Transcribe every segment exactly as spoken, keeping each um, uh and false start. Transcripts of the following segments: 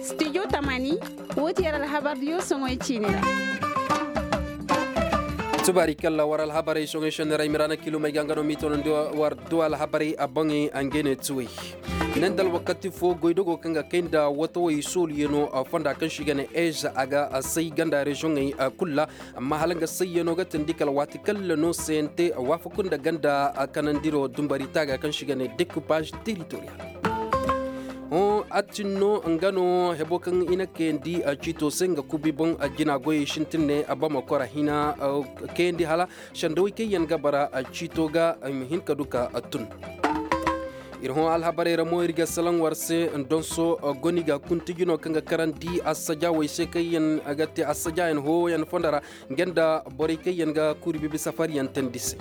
Studio tamani, woo ti yer alhabardiyo soŋoy ciini ra. Subaari kalla war alhabarey soŋoy senni ra i ma ra na kilomey ga nga no m'i toonandi war du alhabarey a boŋey a ngey ne tuwey. Neen da alwakati fo goydogo kaŋ ga kay nda watawey sooluyaŋo fonda kaŋ se i ga ne eze a ga say ganda rezoŋey kul ra. Amma hala nga sayyano ga tindi kala waati kalla no sayante waafaku nda ganda kanandiro dumbari taaga kaŋ se i ga ne dekupaz teritoriyal. Hõ a tin no nga no hebo kaŋ i na kayandi ciito se nga kubi boŋ jina goyey sintin ne bama kora hina. Kayandi hala sendawey kaŋ yaŋ ga bara ciito ga i ma hin ka du ka tun. Ir hõ alhabarey ra mo ir ga salaŋ war se donso goni ga kunti jino kaŋ ga karandi assajaawey se kaŋ yaŋ ga te assajaayaŋ hooyaŋ fondo ra. Nga nda borey kaŋ yaŋ ga kuri bibi safaryaŋ teendi se.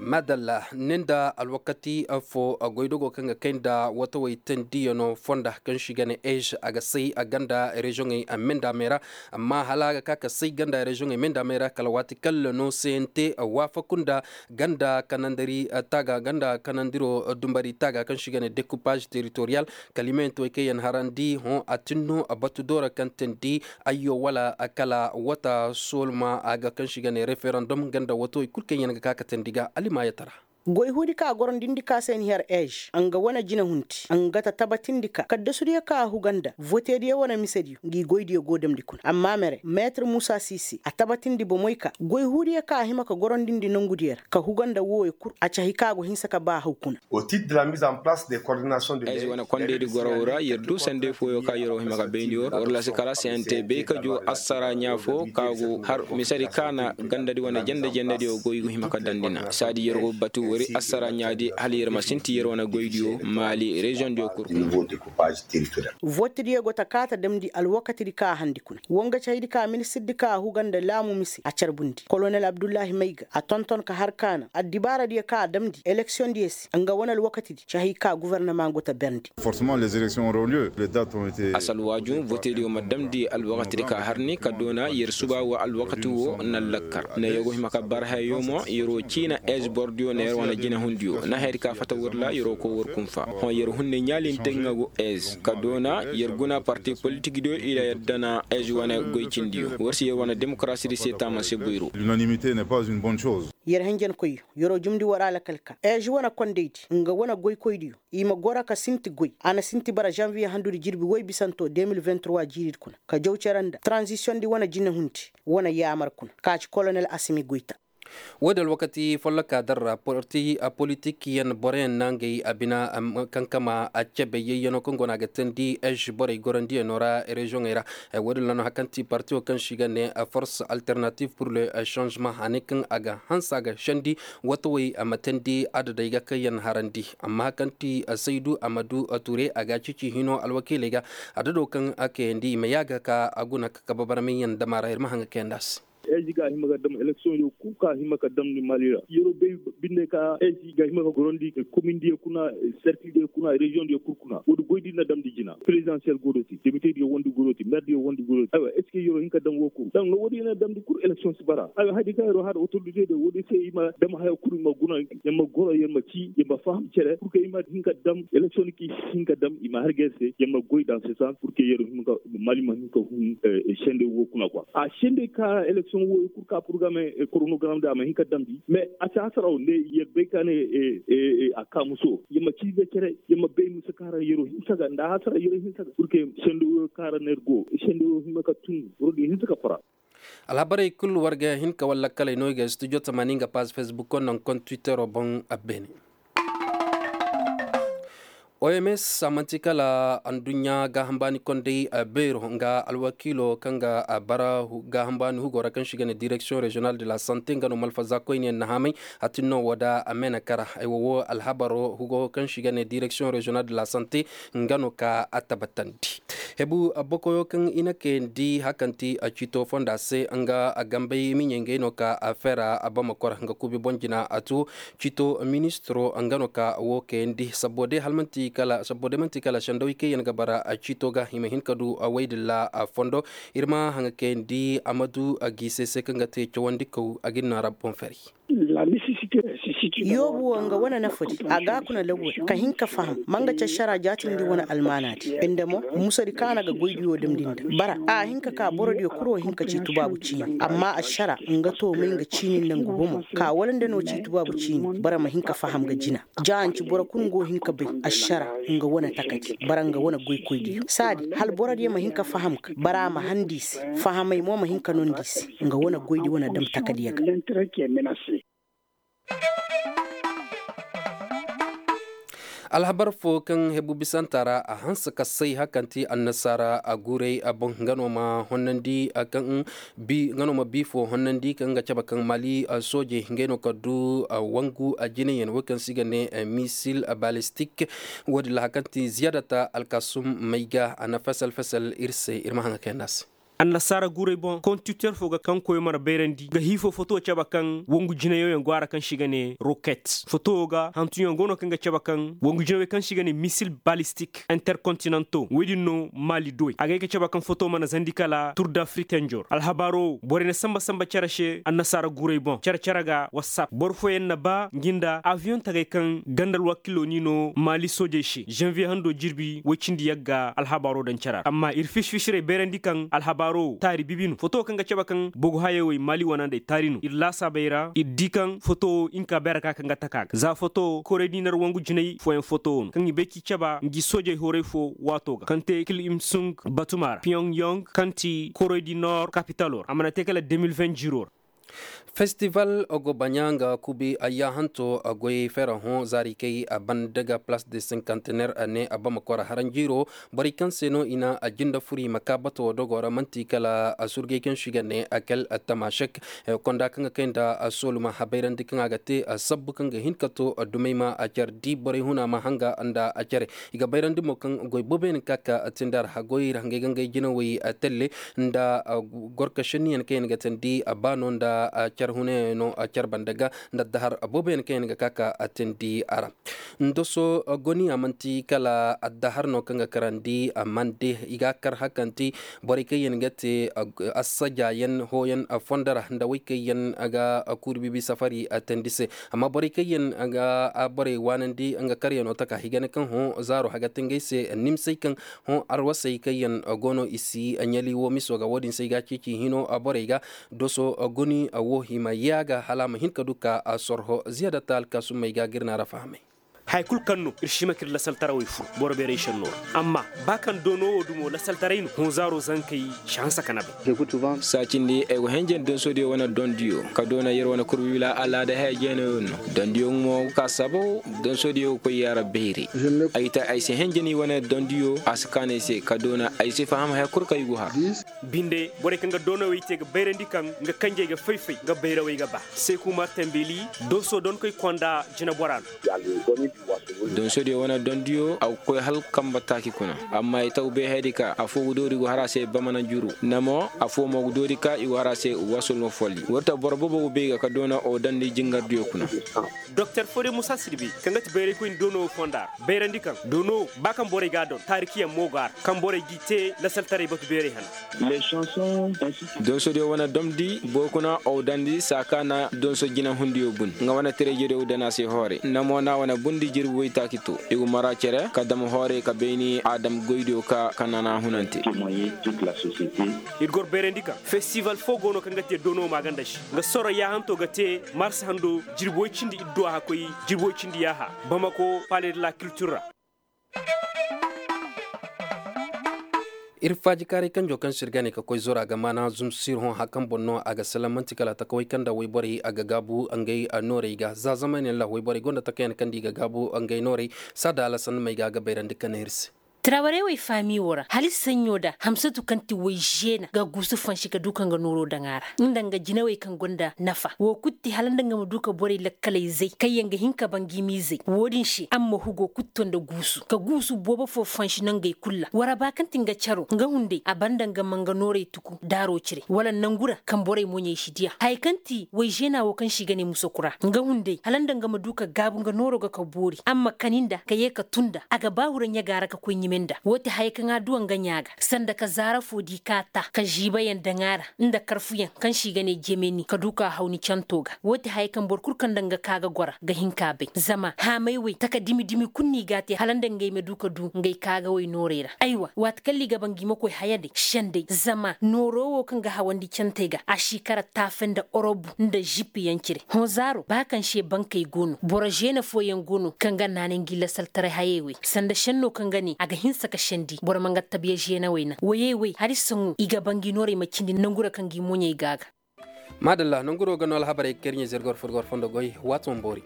Madalla ne nda alwakati fo goydogo kaŋ ga kay nda watawey teendiyaŋo fonda kaŋ se i ga ne eze a ga say a ganda rezoŋey a menda me ra. Amma hala a ga ka ka say ganda rezoŋey menda me ra kala waati kalla no sayante waafaku nda ganda kanandiri taaga ganda kanandiro dumbari taaga kaŋ se i ga ne dekupaz teritoriyal. Kalimeentowey kaŋ yaŋ harandi hõ a tin no batu doora kaŋ teendi ayyo wala kala wata sooluma a ga kaŋ se i ga ne referandom nga nda watawey kul kaŋ yaŋ ga ka ka teendi ga alimaayatara. Goy huudi ka gorondindi ka se ni her eze nga wane jinahundi nga ta tabatindi ka kaddasu diyo ka a huga nda vote diyo wane mise diyo ngi goy diyo go damndi kuna amma mere meetir muusa siisi a tabatindi bomey ka goy huudiyo ka a hima ka gorondindi nongu diyo ra ka huga nda wooyo kul a cahi ka go hinsa ka ba haw kuna. Ezi wane kondaydi gorow ra yer du sanday fooyo ka yer go hima ka bayndi war war lasi kala se yaŋ te bay ka joo assara ɲaa fo ka go har misedi ka na gandadi wane jende jendediyo go i go hima ka damndi na saadi yer go batu wari assara ɲaadi hala yer ma sinti yer wane goydiyo maali reziyoŋdiyo kul kuna. Votediyo go ta kaata damndi alwakatidi ka a handi kuna woo nga cahidi ka ministirdi ka a huga nda laamu mise a carbundi kolonel abdullahi mayga a tonton ka har ka naŋ addibaaradiyo ka a damndi eleksiyoŋdiyo se nga wane alwakatidi cahi ka gofornama go ta berndi. Asal waaju votediyo ma damndi alwakatidi ka har ni ka doona yer suba wa alwakati woo na lakkar na yer go hima ka bara hayayo mo yer woo ciina ez bordiyo na yer wane jinahundiyo na hayadi ka fata war ra yer woo koy war kunfa hõ yer hunne ɲaalinte nga go ez ka doona yer guna parti politikdiyo i ra yer dana ez wane goy cindiyo war si yer wane demokarasidi se taama se boyro. Yer hinjankoyyo yer woo jumndi war alakal ka ez wane kondaydi nga wane goykoydiyo i ma goro ka sinti goy a na sinti bara zanviye handudi jirbi woy bisanto de mil vingt trois jiiridi kuna ka jaw cere nda taranzisiyoŋdi wane jinehundi wane yaamar kuna ka ci kolonel asimi goyta. Woodi alwakati folloka darra parti politik yaŋ boroyaŋ na ngey a bina kankama a cebe yayyano kaŋ go no a ga teendi ezi borey gorandiyaŋo ra reziyoŋey ra. Woodi ra no hari kaŋ ti parti wo kaŋ se i ga ne force alternative pour le changement a ne kaŋ a ga hanse a ga sendi watawey a ma teendi adadey ga kaŋ yaŋ harandi amma hari kaŋ ti saydu a ma du ture a ga a cici hino alwakiiley ga adado kaŋ a kayandi i ma yaaga ka a guna ka kabe barmay yaŋ dama ra ir ma haŋ ga kayandi a se. Ezi ga a hima ga dam eleksiyoŋ yo kul ka a hima ga damndi mali ra yeroo bay binde ka ezi ga a hima ga gorandi komindiyo kuna serkildiyo kuna reziyoŋdiyo kul kuna woodi goydi na damndi jina perezidansiyel goodoti debitediyo wondi goodoti merdiyo wondi goodoti aywa est ce que yeroo hin ka dam woo kul dam no woodi na damndi kul eleksiyoŋ si bara aywa haydi ka yeroo har otoritediyo woodi se i ma dam haya kul i ma guna yer ma goro yer ma cii yer ma faham cere pur que i ma hin ka dam eleksiyoŋ ki hin ka dam i ma har ga yer se yer ma goy dans ce sens pur que yeroo hin ka mali ma hin ka hun sende woo kuna kwa a sende ka eleksiyoŋ woo kul ka purgame koronogaram da a ma hin ka damndi mais a si hasaraw nde yer bay ka ne a kaamuso yer ma ciize cere yer ma bay mise ka ra yeroo hinsa ga nda hasara yeroo hinsa ga pur que sende woo ka ra na yer go sende woo hin ma ka tun boro din hinsa ka fara. Alhabarey kul war ga hin ka walla kaley no i ga studio tamani nga paz facebook naŋ kon twittero boŋ a beene. Oms a manti kala adduɲɲa gaaham baani kondey beero nga alwakiilo kaŋ ga bara gaaham baani hugo ra kaŋ se i ga ne direksiyoŋ reziyonal de la sante nga no malfaza koyne yaŋ na haamay. Hatin no woo da a meenakara ay wo woo alhabaro hugo kaŋ se i ga ne direksiyoŋ reziyonal de la sante nga no ka a tabatandi. Hebu bokoyo kaŋ i na kayandi hari kaŋ ti ciito fonda se nga gambey miɲey ngey no ka a feera a bama kor nga kuubi boŋ jina a tu. Ciito ministiro nga no ka woo kayandi sabbo day hala manti kala sabbo day manti kala sendawey kaŋ yaŋ ga bara ciito ga i ma hin ka du waydilla fondo. Ir ma haŋa kayandi amadu giise se kaŋ ga te cawandikaw a ga ni no a ra boŋ feeray. La necessite. Yoobu wo nga wane nafadi a ga a kuna lagu ra ka hin ka faham ma nga ci ašara jaatindi wane almaanaadi. Nda mo musadi kaŋ a na ga goydiyo damndi nda bara a hin ka ka borodiyo kul wo hin ka ci tubaabu ciini amma ašara nga toomay nga ciini nda nga bomo. Ka wala nda no ci tubaabu ciini boro ma hin ka faham ga jina. Ja a nci boro kul nga wo hin ka bay ašara nga wane takadi bara nga wane goykoydiyo saadi hala borodiyo ma hin ka faham ka bara a ma handi i se. Fahamay mo ma hin ka nondi i se nga wane goydi wane dam takadiyo ga. Alhabar fo kaŋ hebu bisanta ra a hanse ka say hakanti annasaara a guuray a boŋ nga no ma honnandi kaŋ bi nga no ma bi fo honnandi kaŋ ga cabe kaŋ mali soojey ngey no ka du wangu a jinayaŋ wo kaŋ se i ga ne misil balistik. Wo- din ra hakanti ziyaadata alkasum may ga a na fesel fesel ir se ir ma haŋ ga kayandi a se. Annasaara guuray boŋ kontitor fo ga kaŋ koyo mana bayrandi ga hiifo foto cabe kaŋ wangu jinayooyaŋ go a ra kaŋ se i ga ne roket foto ga hantuyaŋ go no kaŋ ga cabe kaŋ wangu jinawey kaŋ se i ga ne misil balistik interkontinanto wo- din no maali duwey a ga ay ga cabe kaŋ foto mana zandi kala tur da fritanjor alhabaaro borey na samba samba cere se annasaara guuray boŋ cere cere ga wassap boro fooyaŋ na ba ngi nda abiyoŋ tagay kaŋ ganda alwakiilo ni no maali soojey se zanviye hando jirbi woy cindi yagga alhabaaro daŋ cere ra amma ir fisi-fisirey bayrandi kaŋ alhabaaro taari bibi no foto kaŋ ga cabe kaŋ bogu hayey wey maali wana nda ay taari no ir laasaabey ra ir di kaŋ foto wo hinka bay ra ka kaŋ ga taka ga za foto wo korey di nar wangu jinay fooyaŋ foto wo no kaŋ i bay k'i caba ngi soojey horay fo waato ga kaŋ te kil im sung batuma ra piyong yong kaŋ ti korey di nor kapitalo ra a mana te kala de mil vin jiro ra. Festival ogo baɲa nga kubi ayyahanto a goy fera hõ zaari kay a banda ga place de cinquantenaire a ne a bama kora haranjiro. Borey kaŋ se no i na a jinda furi ma ka bato dogo ra manti kala a surgey kaŋ se i ga ne a kal a tamashek. Konda kaŋ ga kay nda a sooluma habayrandi kaŋ a ga te a sabbu kaŋ ga hin ka to a dumey ma a care di borey huna ma hanga nda a care. I ga bayrandi mo kaŋ goy booboyaŋ ka ka tindi a ra hagoy ra hangey ga ngey jinawey telle nda gorka šenniyaŋ kaŋ yaŋ ga tindi a ba no nda care hunayaŋ no care banda ga nda addahar booboyaŋ kaŋ yaŋ ga ka ka tindi a ra. Ndoso goniya manti kala addahar no kaŋ ga karandi mande i ga kar hakanti borey kaŋ yaŋ ga te assajayaŋ hooyaŋ fondo ra nda wey kaŋ yaŋ ga kuuri biibi safari tindi se. Amma borey kaŋ yaŋ ga borey waanandi nga karyaŋo taka higane kaŋ hõ zaaro haga te ngey se nimsey kaŋ hõ arwasey kaŋ yaŋ go no i si ɲali wo miso ga wo- din se i ga ceeci hino borey ga doso guni wo hima yaaga hala a ma hin ka du ka sorho ziyada ta alkaasumey ga ga ir na ra fahamay. Haya kulu kaŋ no ir si hima ka ir lasaltarawey fur boro beeray šenno ra. Amma ba kaŋ doono wo dumo lasaltaray no hõ zaaro zankey si hanse ka na bay. Saacindi ay go henjandi donso diyo wane dondiyo ka doona yer wane kurbibila alaada haya jeenayo no. Dondiyo mo ka sabo donso diyo ga koy yaara bayray. Ay ta ay si henjandi wane dondiyo a si kaanu ay se ka doona ay si faham haya kulu kaŋ i go har. Binde borey kaŋ ga doonawey te ga bayrandi kaŋ nga kanjey ga fay-fay nga bayrawey ga ba. Seku martin beli donso donkoy konda jinabora no. Donso diyo wane dondiyo a ga koy hala kamba taaki kuna. Amma i taw bay hayadi ka afo ga doori go har a se bamana juru namo afo mo ga doori ka i go har a se wasulma folli warta boro boobo ga bay ga ka doona o dandi jingardiyo kuna. Doktor fode musa sirbi kaŋ ga ti bayraykoy ni doono fonda ra bayrandi kaŋ doono ba kaŋ borey ga a don taarikiyaŋ mo go a ra kaŋ borey g'i te lasaltaray batu beeray hana. Donso diyo wane domdi boro kuna ow dandi saaka na donso jinahundiyo bun nga wane tirejediyo dana se hoore namo na wane bundi jirbi woytaaki to i ga mara cere ka dam hoore ka bayni adam goydiyo ka ka nana hunante. Ir gor bayrandi kaŋ festival fo go no kaŋ ga te doono maaganda se nga soro yaahanto ga te mars hando jirbi woy cindi idduwa ka koy jirbi woy cindi yaaha bamako pale de la kiltir ra. Ir faajikaaray kanjo kaŋ se ir ga ne ka koy zora ga maana zumsir hõ hakan boŋ no a ga salaŋ man'ti kala takawey kaŋ nda wayborey a ga gaabu ngey noorey ga za zama yaŋ ra wayborey gonda takayaŋ kaŋ nda i ga gaabu ngey noorey. Saada alasan may ga a ga bayrandi ka ne ir se. Tirawarey wey faami wo ra hala i saɲɲo nda hamsatu kaŋ ti wayzeena ga guusu fansi ka du ka nga nooro daŋ a ra nda nga jinawey kaŋ gonda nafa wo kulu ti hala nda nga ma du ka borey lakkaley zay kaŋ yaŋ ga hin ka ba ngi miizey wo-din se a ma hugo kulu to nda guusu ka guusu boobo fo fansi nangey kulu ra waraba kaŋ ti nga caro nga hunday a banda nga ma nga noorey tuku daaro cire wala nangu ra kaŋ borey moɲey si diya haya kaŋ ti wayzeena wo kaŋ se i ga ne musokura nga hunday hala nda nga ma du ka gaabu nga nooro ga ka boori a ma kani nda ka ye ka tun nda a ga ba hura ɲaga ra ka koy ɲime. Nda woo ti haya kaŋ a duwa nga ɲaa ga sanda ka zaara foo di ka taa ka ziibayaŋ daŋ a ra, nda karfuyaŋ kaŋ se i ga ne jemeni ka du ka haw ni canto ga. Woo ti haya kaŋ boro kul kaŋ nda nga ka ga gora ga hin ka bay zama haamay wey taka dimi dimi kul no i g'a te hala nda ngey ma du ka du ngey ka ga wey noorey ra. Aywa waati kaŋ ra i ga ba ngi ma koy haya day sendey zama nooro woo kaŋ ga hawandi cantey ga a si kara taafe nda orobu nda zipiyaŋ cire. Hõ zaaro ba kaŋ se bankey go no boro zeena fooyaŋ go no kaŋ ga naanay ngi lasaltaray hayey wey sanda senno kaŋ ga ne a ga hinsa ka sendi boro ma nga tabiya zeenawey naŋ woyey wey hari saŋu i ga ba ngi noorey ma cindi nangu ra kaŋ ngi moɲey go a ga. Maadalla nanguro ga no alhabarey ga kay ir ɲey zirgor furgor fondo goy waati wane boori.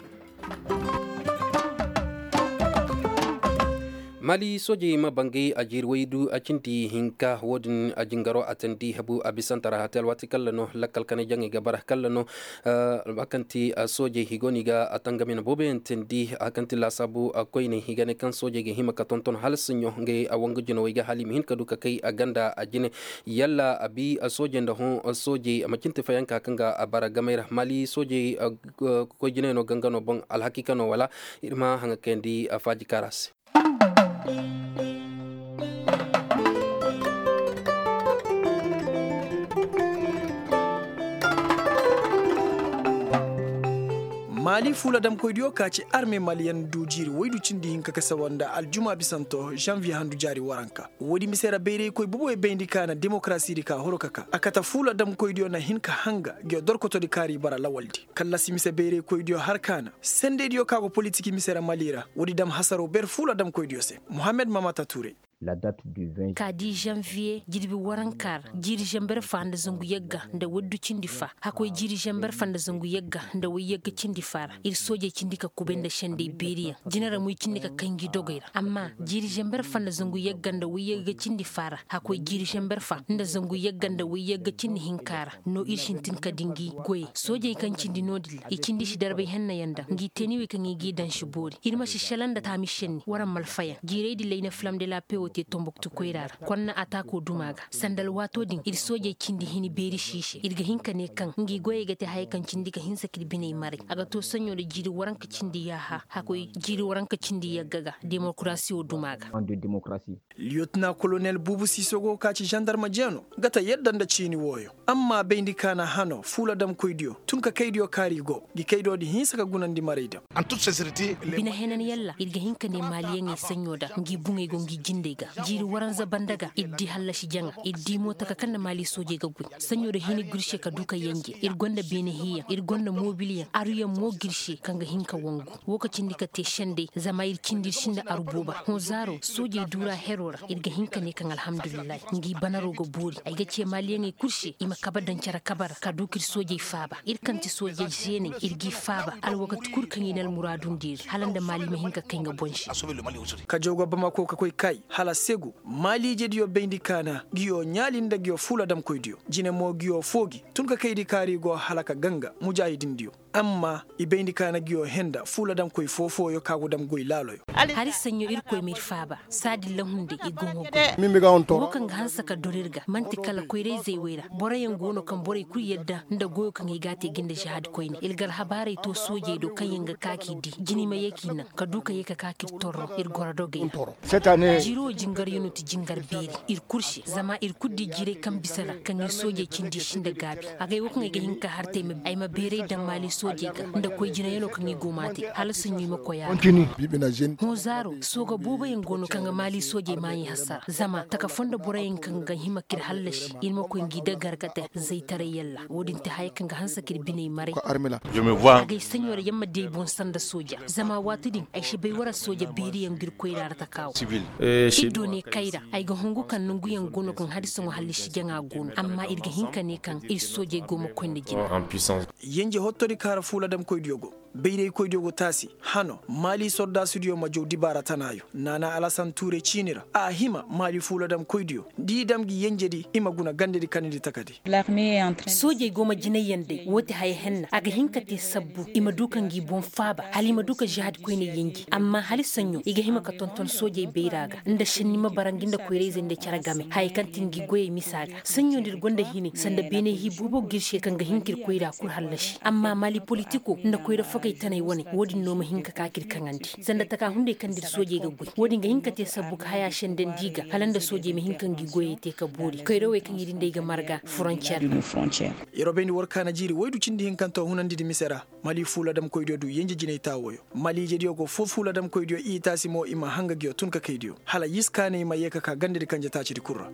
Maali soojey ma bangay a jiiri waydu a cindi hinka wo-din a jingaro a teendi habu a bisante ra hate alwaati kalla no lakkal kanay jaŋey ga bara kalla no. A kaŋ ti soojey i go no i ga a tangam yaŋ booboyaŋ teendi a kaŋ ti laasaabu koyney i ga ne kaŋ soojey ga hima ka tonton hala saɲɲo ngey a wangu jinawey ga hala i ma hin ka du ka kay a ganda a jine. Yalla a bi soojey nda hõ soojey a ma cin ti fayanka kaŋ ga a bara gamey ra maali soojey koy jiney no ganga no boŋ alhakiika no wala? Ir ma haŋa kayandi a faaji kaara se. Maali fuula damkoydiyo ka ci arme maliyen du jiiri waydu cindi hinka ka sawa nda aljuma bisanto zanviye handu jaari waranka. Woodi mise ra bayraykoy boboyo bayndi ka na demokarasidi ka horo ka ka a kate fuula damkoydiyo na hin ka hanga nguyo dorkotodi kaari bara lawaldi. Kallasi mise bayraykoydiyo har ka na sendeydiyo ka go politik mise ra mali ra woodi dam hasaro ber fuula damkoydiyo se. Muhammed mamata tuuray. Ka di zanviye jirbi waranka ra jiiri zanber fa nda zangu yagga nda waydu cindi fa hakoy jiiri zanber fa nda zangu yagga nda wayyagga cindi fa ra ir soojey cindi ka kubay nda sendey beeriyaŋ jina ra mo i cindi ka kay ngi dogey ra amma jiiri zanber fa nda zangu yagga nda wayyagga cindi fa ra hakoy jiiri zanber fa nda zangu yagga nda wayyagga cindi hinka ra no ir sintin ka di ngi goyey soojey kaŋ cindi no-din ra i cindi si darbay hennayaŋ da ngi teeniwey kaŋ i g'i daŋ si boori ir ma si šelaŋ nda taami šenni war a ma alfayaŋ jiirey din ra i na filam de la pe wo te tombuktu koyra ra konna ataako duma ga sanda alwaato din ir soojey cindi hini beeri si i se ir ga hin ka ne kaŋ ngi goyey ga te hayey kaŋ cindi ka hinsa ka ir biney maray a ga to saɲɲo nda jiiri waranka cindi yaaha hakoy jiiri waranka cindi yagga ga demokarasiyo duma ga. Liyotina kolonel buubu siiso go ka ci zandarma jeeno ga ta yadda nda ciini wooyo amma bayndi ka na hano fuula damkoydiyo tun ka kaydiyo kaari go ngi kaydiyo di hinsa ka gunandi maray daŋ. Bine henan yalla ir ga hin ka ne maaliyaŋey saɲɲo da ngi buŋey go ngi jindey ga jiiri waranza banda ga ir di hallasi jaŋa ir di mo taka kaŋ nda maali soojey ga goy saɲɲo da hini gurse ka du ka yanje ir gonda beene hiiyaŋ ir gonda moobilyaŋ aruyaŋ mo gurse kaŋ ga hin ka wangu wo ka cindi ka te sendey zama ir cindi ir sinda aru booba hõ zaaro soojey duura hero ra ir ga hin ka ne kaŋ alhamdulillahi ngi banaro ga boori ay ga ce maaliyaŋey kul se i ma kabe daŋ cere kabe ra ka du ka ir soojey faaba ir kaŋ ti soojey zeeney ir g'i faaba alwakati kul kaŋ i na almuraadundi ir hala nda maali ma hin ka kay nga boŋ se. Ka jawga bamako ka koy kay hala segu maaliijediyo bayndi kaana nguyo ɲaali nda nguyo fuula damkoydiyo jine mo nguyo foo gi tun ka kaydi kaari go hala ka ganga mujaahidindiyo amma i bayndi kaana nguyo henda fuula damkoy foo-fooyo ka go dam goy laaloyo. Hari saɲɲo irkoy m'ir faaba saadin lahundey i go nga goy wo kaŋ ga hanse ka dor ir ga man'ti kala koyra-izey wey ra boroyaŋ go no kaŋ borey kul yadda nda goyo kaŋ ay g'a te ga nda žahaadi koyne ir ga alhabaarey to soojey do kaŋyaŋ ga ka k'i di jini ma ye k'i naŋ ka du ka ye ka ka k'ir torro ir goro dogey ra. Jiiri wo jingaryaŋo ti jingar beeri ir kul se zama ir kul di jiirey kaŋ bisa ra kaŋ ir soojey cindi i sinda gaabi agay wo kaŋ ay ga hin ka har te ay ma beeray daŋ maali soojey ga nda koy jinayaŋo kaŋ i go m'a te hala saɲɲo i ma koy a ra. Hõ zaaro sooga booboyaŋ go no kaŋ ga maali soojey maaɲey hasara zama taka fondo boroyaŋ kaŋ ga hima k'ir hallasi ir ma koy ngi dagar ga te zaytaray yalla wo-din te haya kaŋ ga hanse k'ir biney maray. Agay saɲɲo ra yamma di ay boŋ sanda sooja zama waati din ay si bay wara sooja beeriyaŋ ga ir koyra ra taka wo. Ir do ne kayra ay ga hungu kaŋ nonguyaŋ go no kaŋ hari saŋo hallasi jaŋa go no amma ir ga hin ka ne kaŋ ir soojey go ma koy nda jina. Yenje hottodi kaara fuula damkoydiyo go bayraykoydiyo go taasi hano maali sordaasudiyo ma jaw dibaara tanaayo naana alasan tuuray ciini ra a hima maali fuula damkoydiyo da i dam ngi yenjedi i ma guna gandedi kanandi takadi. Soojey go ma jinayyaŋ day woo ti haya henna a ga hin ka te sabbu i ma du ka ngi boŋ faaba hala i ma du ka žahaadi koyney yenji amma hala saɲɲo i ga hima ka tonton soojey bayra ga nda šenni ma bara ngi nda koyrayzey nda cere game haya kaŋ ti ngi goyey misa ga saɲɲo nda ir gonda hine sanda beeney hii boobo ga ir se kaŋ ga hin ka ir koyra kul hallasi amma maali politiko nda koyra fo Kay tanay wane wo-din no ma hin ka ka k'ir kaŋandi sanda taka hunday kaŋ nda ir soojey ga goy wo-din ga hin ka te sabbu ka haya sendandi ga hala nda soojey ma hin ka ngi goyey te ka boori kaydawey kaŋ ir nda ay ga marga frontier. Yer wo bayndi war kaana jiiri waydu cindi hinkanto hunandidi mise ra. Mali fuula damkoydiyo du yenje jinay taawoyo mali ijediyo go fo fuula damkoydiyo i taasi mo i ma hanga nguyo tun ka kaydiyo hala yis kaanay ma yee ka ka gandadi kanje taacidi kul ra.